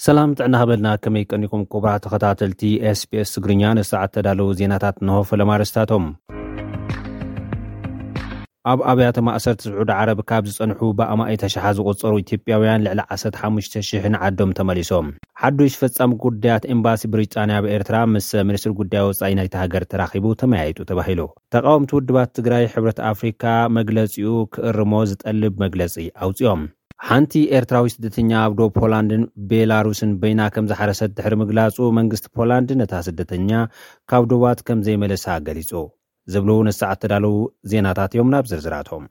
ሰላም ጥዕና ሃበልና፣ ከመይ ቀኒኩም ክቡራት ተኸታተልቲ ኤስቢኤስ ትግርኛ? ንሰዓት ተዳለዉ ዜናታት እንሆ። ፈለማ ኣርእስታቶም። ኣብ ኣብያተ ማእሰርቲ ስዑዲ ዓረብ ካብ ዝጸንሑ ብኣማኢት ኣሽሓት ዝቑጸሩ ኢትዮጵያውያን ልዕሊ ዓሰርተ ሓሙሽተ ሽሕ ንዓዶም ተመሊሶም። ሓዱሽ ፈጻሚ ጉዳያት ኤምባሲ ብሪጣንያ ኣብ ኤርትራ ምስ ሚኒስትሪ ጉዳይ ወጻኢ ናይታ ሃገር ተራኺቡ ተመያይጡ ተባሂሉ። ተቃወምቲ ውድባት ትግራይ ሕብረት ኣፍሪካ መግለጺኡ ክእርሞ ዝጠልብ መግለጺ ኣውጺኦም። ሓንቲ ኤርትራዊ ስደተኛ ኣብ ዶብ ፖላንድን ቤላሩስን በይና ከም ዝሓረሰት ድሕሪ ምግላጹ፣ መንግስቲ ፖላንድ ነታ ስደተኛ ካብ ዶባት ከም ዘይመለሳ ገሊጹ። ዝብሉ ንሰዓት ተዳለዉ ዜናታት እዮም። ናብ ዝርዝራቶም።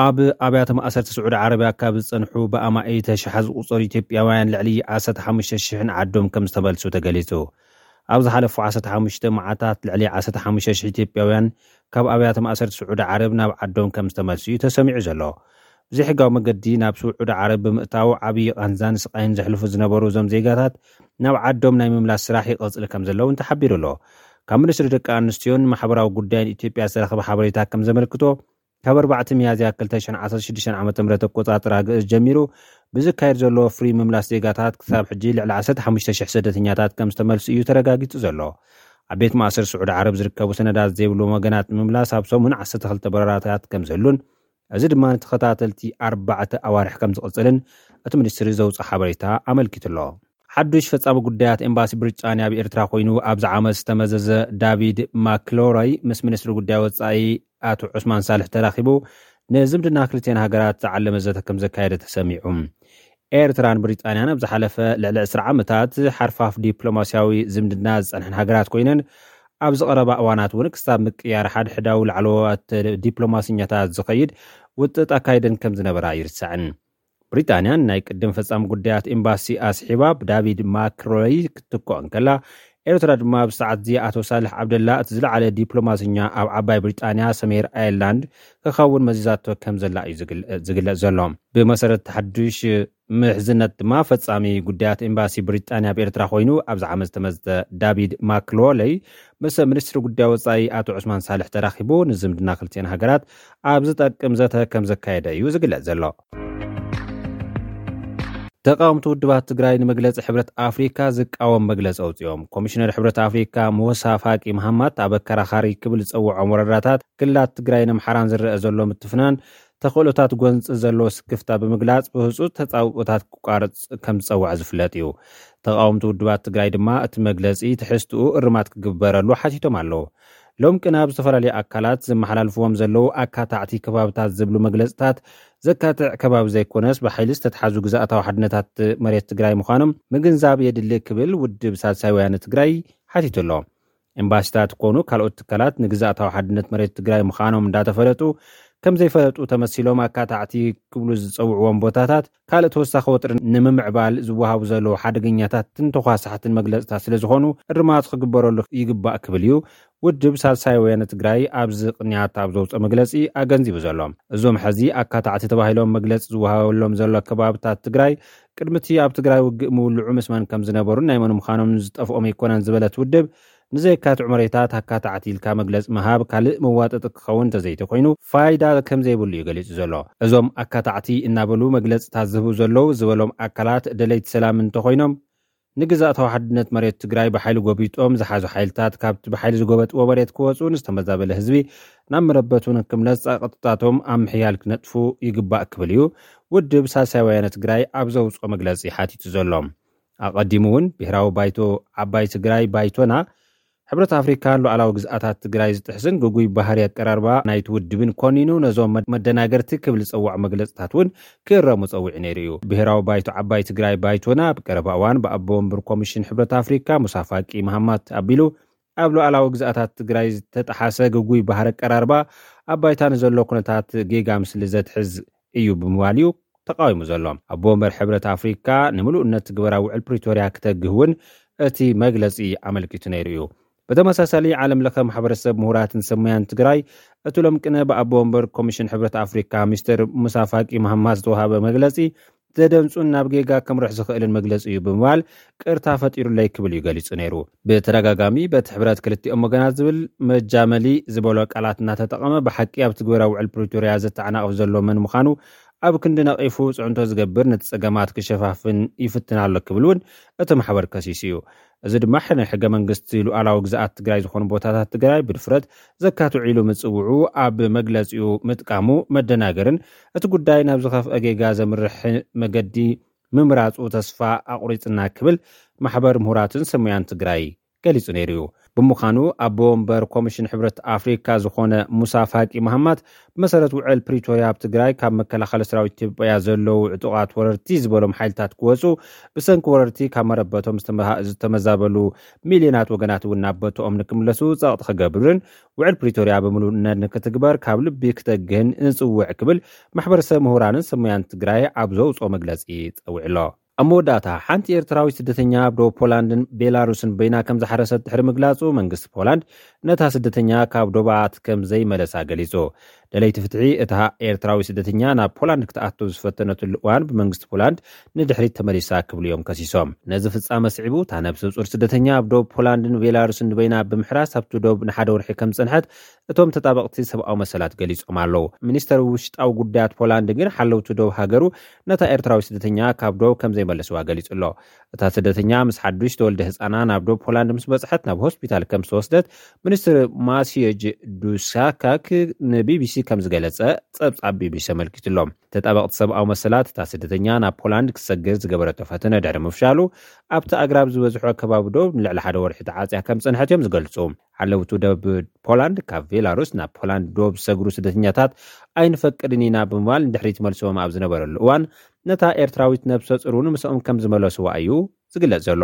ኣብ ኣብያተ ማእሰርቲ ስዑዲ ዓረብያ ካብ ዝጸንሑ ብኣማኢት ኣሽሓት ዝቑጸሩ ኢትዮጵያውያን ልዕሊ ዓሰርተ ሓሙሽተ ሽሕ ንዓዶም ከም ዝተመልሱ ተገሊጹ። ኣብ ዝሓለፉ ዓሰርተ ሓሙሽተ መዓልታት ልዕሊ ዓሰርተ ሓሙሽተ ሽሕ ኢትዮጵያውያን ካብ ኣብያተ ማእሰርቲ ስዑዲ ዓረብ ናብ ዓዶም ከም ዝተመልሱ እዩ ተሰሚዑ ዘሎ። ብዘይሕጋዊ መገዲ ናብ ስዑዲ ዓረብ ብምእታው ዓብዪ ቃንዛን ስቃይን ዘሕልፉ ዝነበሩ እዞም ዜጋታት ናብ ዓዶም ናይ ምምላስ ስራሕ ይቐጽል ከም ዘሎ እውን ተሓቢሩ ኣሎ። ካብ ሚኒስትሪ ደቂ ኣንስትዮን ማሕበራዊ ጉዳይን ኢትዮጵያ ዝተረኸበ ሓበሬታ ከም ዘመልክቶ፣ ካብ ኣርባዕተ ሚያዝያ ክልተ ሽሕን ዓሰርተ ሽዱሽተን ዓመተ ምህረት ኣቆጻጽራ ግእዝ ጀሚሩ ብዝካየድ ዘሎ ፍሪ ምምላስ ዜጋታት ክሳብ ሕጂ ልዕሊ ዓሰርተ ሓሙሽተ ሽሕ ስደተኛታት ከም ዝተመልሱ እዩ ተረጋጊጹ ዘሎ። ኣብ ቤት ማእሰር ስዑዲ ዓረብ ዝርከቡ ሰነዳት ዘይብሉ ወገናት ንምምላስ ኣብ ሰሙን ዓሰርተ ክልተ በረራታት ከም ዝህሉን፣ እዚ ድማ ንተኸታተልቲ ኣርባዕተ ኣዋርሕ ከም ዝቕጽልን እቲ ሚኒስትሪ ዘውፅኦ ሓበሬታ ኣመልኪቱ ኣሎ። ሓዱሽ ፈጻሚ ጉዳያት ኤምባሲ ብሪጣንያ ኣብ ኤርትራ ኮይኑ ኣብዚ ዓመት ዝተመዘዘ ዳቪድ ማክሎሮይ ምስ ሚኒስትሪ ጉዳይ ወጻኢ ኣቶ ዑስማን ሳልሕ ተራኺቡ ንዝምድና ክልቲኤን ሃገራት ዝዓለመ ዘተ ከም ዘካየደ ተሰሚዑ። ኤርትራን ብሪጣንያን ኣብ ዝሓለፈ ልዕሊ ዕስራ ዓመታት ሓርፋፍ ዲፕሎማስያዊ ዝምድና ዝጸንሐን ሃገራት ኮይነን፣ ኣብዚ ቀረባ እዋናት እውን ክሳብ ምቅያር ሓድሕዳዊ ላዕለዎት ዲፕሎማስኛታት ዝኸይድ ውጥጥ ኣካይደን ከም ዝነበራ ኣይርሳዕን። ብሪጣንያን ናይ ቅድም ፈጻሚ ጉዳያት ኤምባሲ ኣስሒባ ብዳቪድ ማክሮይ ክትትኮ እንከላ፣ ኤርትራ ድማ ኣብዚ ሰዓት እዚ ኣቶ ሳልሕ ዓብደላ እቲ ዝለዓለ ዲፕሎማስኛ ኣብ ዓባይ ብሪጣንያ ሰሜር ኣየርላንድ ክኸውን መዚዛቶ ከም ዘላ እዩ ዝግል-፣ ዝግለጽ ዘሎ። ብመሰረት ሓዱሽ ምሕዝነት ድማ ፈጻሚ ጉዳያት ኤምባሲ ብሪጣንያ ኣብ ኤርትራ ኮይኑ ኣብዚ ዓመት ዝተመዝተ ዳቪድ ማክሎለይ ምስ ሚኒስትሪ ጉዳይ ወጻኢ ኣቶ ዑስማን ሳልሕ ተራኺቡ ንዝምድና ክልቲኤን ሃገራት ኣብ ዝጠቅም ዘተ ከም ዘካየደ እዩ ዝግለጽ ዘሎ። ተቃወምቲ ውድባት ትግራይ ንመግለጺ ሕብረት ኣፍሪካ ዝቃወም መግለጺ ኣውጺኦም። ኮሚሽነር ሕብረት ኣፍሪካ ሙሳ ፋቂ መሃማት ኣብ ኣከራኻሪ ክብል ዝጸውዖም ወረዳታት ክልላት ትግራይን ኣምሓራን ዝረአ ዘሎ ምትፍናን ተኽእሎታት ጎንፂ ዘለዎ ስክፍታ ብምግላፅ ብህፁፅ ተፃብኦታት ክቋረፅ ከም ዝፀውዐ ዝፍለጥ እዩ። ተቃወምቲ ውድባት ትግራይ ድማ እቲ መግለፂ ትሕዝትኡ እርማት ክግበረሉ ሓቲቶም ኣለዉ። ሎም ቅነ ኣብ ዝተፈላለዩ ኣካላት ዘመሓላልፍዎም ዘለዉ ኣካታዕቲ ከባብታት ዝብሉ መግለፅታት ዘካትዕ ከባቢ ዘይኮነስ ብሓይሊ ዝተትሓዙ ግዝኣታዊ ሓድነታት መሬት ትግራይ ምዃኖም ምግንዛብ የድሊ ክብል ውድብ ሳልሳይ ወያነ ትግራይ ሓቲቱ ኣሎ። ኤምባሲታት ኮኑ ካልኦት ትካላት ንግዝኣታዊ ሓድነት መሬት ትግራይ ምዃኖም እንዳተፈለጡ ከም ዘይፈለጡ ተመሲሎም ኣካታዕቲ ክብሉ ዝፀውዕዎም ቦታታት ካልእ ተወሳኺ ወጥሪ ንምምዕባል ዝወሃቡ ዘለዉ ሓደገኛታትን ተኳሳሕትን መግለፅታት ስለ ዝኾኑ እርማት ክግበረሉ ይግባእ ክብል እዩ ውድብ ሳልሳይ ወያነ ትግራይ ኣብዚ ቅንያት ኣብ ዘውፅኦ መግለፂ ኣገንዚቡ ዘሎ። እዞም ሕዚ ኣካታዕቲ ተባሂሎም መግለፂ ዝወሃበሎም ዘሎ ከባብታት ትግራይ ቅድሚ እቲ ኣብ ትግራይ ውግእ ምውልዑ ምስ መን ከም ዝነበሩን ናይ መን ምዃኖም ዝጠፍኦም ኣይኮነን ዝበለት ውድብ፣ ንዘየካትዑ መሬታት ኣካታዕቲ ኢልካ መግለፂ ምሃብ ካልእ መዋጠጢ ክኸውን እንተዘይተኮይኑ ፋይዳ ከም ዘይብሉ እዩ ገሊፁ ዘሎ። እዞም ኣካታዕቲ እናበሉ መግለፅታት ዝህቡ ዘለዉ ዝበሎም ኣካላት ደለይቲ ሰላም እንተኮይኖም ንግዝኣታዊ ሓድነት መሬት ትግራይ ብሓይሊ ጎቢጦም ዝሓዙ ሓይልታት ካብቲ ብሓይሊ ዝጎበጥዎ መሬት ክወፁ፣ ንዝተመዛበለ ህዝቢ ናብ መረበቱ ንክምለስ ፃቕጥታቶም ኣብ ምሕያል ክነጥፉ ይግባእ ክብል እዩ ውድብ ሳልሳይ ወያነ ትግራይ ኣብ ዘውፅኦ መግለፂ ሓቲቱ ዘሎ። ኣቐዲሙ እውን ብሄራዊ ባይቶ ዓባይ ትግራይ ባይቶና ሕብረት ኣፍሪካን ሉዓላዊ ግዝኣታት ትግራይ ዝጥሕስን ግጉይ ባህሪ ኣቀራርባ ናይቲ ውድብን ኮኒኑ ነዞም መ-፣ መደናገርቲ ክብል ዝፀውዖ መግለፅታት እውን ክእረሙ ፀዊዑ ነይሩ እዩ። ብሄራዊ ባይቶ ዓባይ ትግራይ ባይቶና ኣብ ቀረባ እዋን ብኣቦ ወንበር ኮሚሽን ሕብረት ኣፍሪካ ሙሳ ፋቂ መሃማት ኣቢሉ ኣብ ሉዓላዊ ግዝኣታት ትግራይ ዝተጠሓሰ ግጉይ ባህሪ ኣቀራርባ ኣብ ባይታ ንዘሎ ኩነታት ጌጋ ምስሊ ዘትሕዝ እዩ ብምባል እዩ ተቃዊሙ ዘሎ። ኣቦ ወንበር ሕብረት ኣፍሪካ ንምሉእነት ትግበራ ውዕል ፕሪቶርያ ክተግህ እውን እቲ መግለፂ ኣመልኪቱ ነይሩ እዩ። ብተመሳሳሊ ዓለም ለኸ ማሕበረሰብ ምሁራትን ሰሙያን ትግራይ እቲ ሎም ቅነ ብኣቦ ወንበር ኮሚሽን ሕብረት ኣፍሪካ ሚስተር ሙሳ ፋቂ መሃማት ዝተዋሃበ መግለፂ ዘደንፁን ናብ ጌጋ ከምርሕ ዝኽእልን መግለፂ እዩ ብምባል ቅርታ ፈጢሩለይ ክብል እዩ ገሊፁ ነይሩ። ብተደጋጋሚ በቲ ሕብረት ክልቲኦም ወገናት ዝብል መጃመሊ ዝበሎ ቃላት እናተጠቐመ ብሓቂ ኣብ ትግበራ ውዕል ፕሪቶርያ ዘተዓናቕፍ ዘሎ መን ምዃኑ ኣብ ክንዲ ነቒፉ ጽዕንቶ ዝገብር፣ ነቲ ጸገማት ክሸፋፍን ይፍትን ኣሎ ክብል እውን እቲ ማሕበር ከሲሱ እዩ። እዚ ድማ ናይ ሕገ መንግስቲ ሉዓላዊ ግዝኣት ትግራይ ዝኾኑ ቦታታት ትግራይ ብድፍረት ዘካትዑ ኢሉ ምጽውዑ ኣብ መግለጺኡ ምጥቃሙ መደናገርን እቲ ጉዳይ ናብ ዝኸፍአ ጌጋ ዘምርሕ መገዲ ምምራጹ ተስፋ ኣቑሪጽና ክብል ማሕበር ምሁራትን ሰሙያን ትግራይ ገሊጹ ነይሩ እዩ። ብምዃኑ ኣቦ ወንበር ኮሚሽን ሕብረት ኣፍሪካ ዝኾነ ሙሳ ፋቂ መሃማት ብመሰረት ውዕል ፕሪቶርያ ኣብ ትግራይ ካብ መከላኸሊ ሰራዊት ኢትዮጵያ ዘለዉ ዕጡቓት ወረርቲ ዝበሎም ሓይልታት ክወፁ፣ ብሰንኪ ወረርቲ ካብ መረበቶም ዝተመሃ- ዝተመዛበሉ ሚልዮናት ወገናት እውን ናብ ቦትኦም ንክምለሱ ፀቕጢ ክገብርን ውዕል ፕሪቶርያ ብምሉእነት ንክትግበር ካብ ልቢ ክተግህን ንፅውዕ ክብል ማሕበረሰብ ምሁራንን ሰሙያን ትግራይ ኣብ ዘውፅኦ መግለፂ ፀዊዕሎ። ኣብ መወዳእታ ሓንቲ ኤርትራዊት ስደተኛ ኣብ ዶብ ፖላንድን ቤላሩስን በይና ከም ዝሓረሰት ድሕሪ ምግላጹ መንግስቲ ፖላንድ ነታ ስደተኛ ካብ ዶባት ከም ዘይመለሳ ገሊጹ። ደለይቲ ፍትሒ እታ ኤርትራዊ ስደተኛ ናብ ፖላንድ ክትኣቱ ዝፈተነትሉ እዋን ብመንግስቲ ፖላንድ ንድሕሪት ተመሊሳ ክብሉ እዮም ከሲሶም። ነዚ ፍጻመ ስዒቡ እታ ነብሰ ጹር ስደተኛ ኣብ ዶብ ፖላንድን ቤላሩስን በይና ብምሕራስ ኣብቲ ዶብ ንሓደ ወርሒ ከም ዝጸንሐት እቶም ተጣበቕቲ ሰብኣዊ መሰላት ገሊጾም ኣለዉ። ሚኒስተር ውሽጣዊ ጉዳያት ፖላንድ ግን ሓለውቲ ዶብ ሃገሩ ነታ ኤርትራዊ ስደተኛ ካብ ዶብ ከም ዘይመለስዋ ገሊጹ ኣሎ። እታ ስደተኛ ምስ ሓዱሽ ተወልደ ህጻና ናብ ዶብ ፖላንድ ምስ በጽሐት ናብ ሆስፒታል ከም ዝተወስደት ሚኒስትር ማሲየጅ ዱሳካክ ንቢቢሲ ከም ዝገለጸ ጸብጻብ ቢቢሲ ኣመልኪቱ ኣሎ። ተጣበቕቲ ሰብኣዊ መሰላት እታ ስደተኛ ናብ ፖላንድ ክትሰግር ዝገበረቶ ፈተነ ድሕሪ ምፍሻሉ ኣብቲ ኣግራብ ዝበዝሖ ከባቢ ዶብ ንልዕሊ ሓደ ወርሒ ተዓጽያ ከም ዝጸንሐት እዮም ዝገልጹ። ሓለውቲ ዶብ ፖላንድ ካብ ቤላሩስ ናብ ፖላንድ ዶብ ዝሰግሩ ስደተኛታት ኣይንፈቅድን ኢና ብምባል ንድሕሪት መልሶም ኣብ ዝነበረሉ እዋን ነታ ኤርትራዊት ነብሰ ጹር እውን ምስኦም ከም ዝመለስዋ እዩ ዝግለጽ ዘሎ።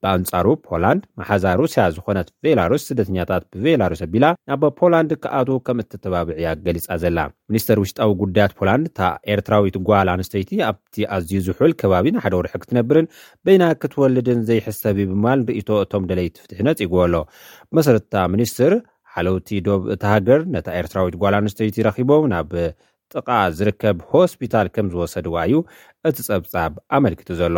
ብኣንጻሩ ፖላንድ መሓዛ ሩስያ ዝኾነት ቤላሩስ ስደተኛታት ብቤላሩስ ኣቢላ ናብ ፖላንድ ክኣትዉ ከም እትተባብዕ እያ ገሊጻ ዘላ። ሚኒስተር ውሽጣዊ ጉዳያት ፖላንድ እታ ኤርትራዊት ጓል ኣንስተይቲ ኣብቲ ኣዝዩ ዝሑል ከባቢ ንሓደ ወርሒ ክትነብርን በይና ክትወልድን ዘይሕሰብ እዩ ብምባል ርእይቶ እቶም ደለይቲ ፍትሒ ነጺግዎ ኣሎ። ብመሰረት እታ ሚኒስትር ሓለውቲ ዶብ እታ ሃገር ነታ ኤርትራዊት ጓል ኣንስተይቲ ረኺቦም ናብ ጥቓ ዝርከብ ሆስፒታል ከም ዝወሰድዋ እዩ እቲ ጸብጻብ ኣመልኪቱ ዘሎ።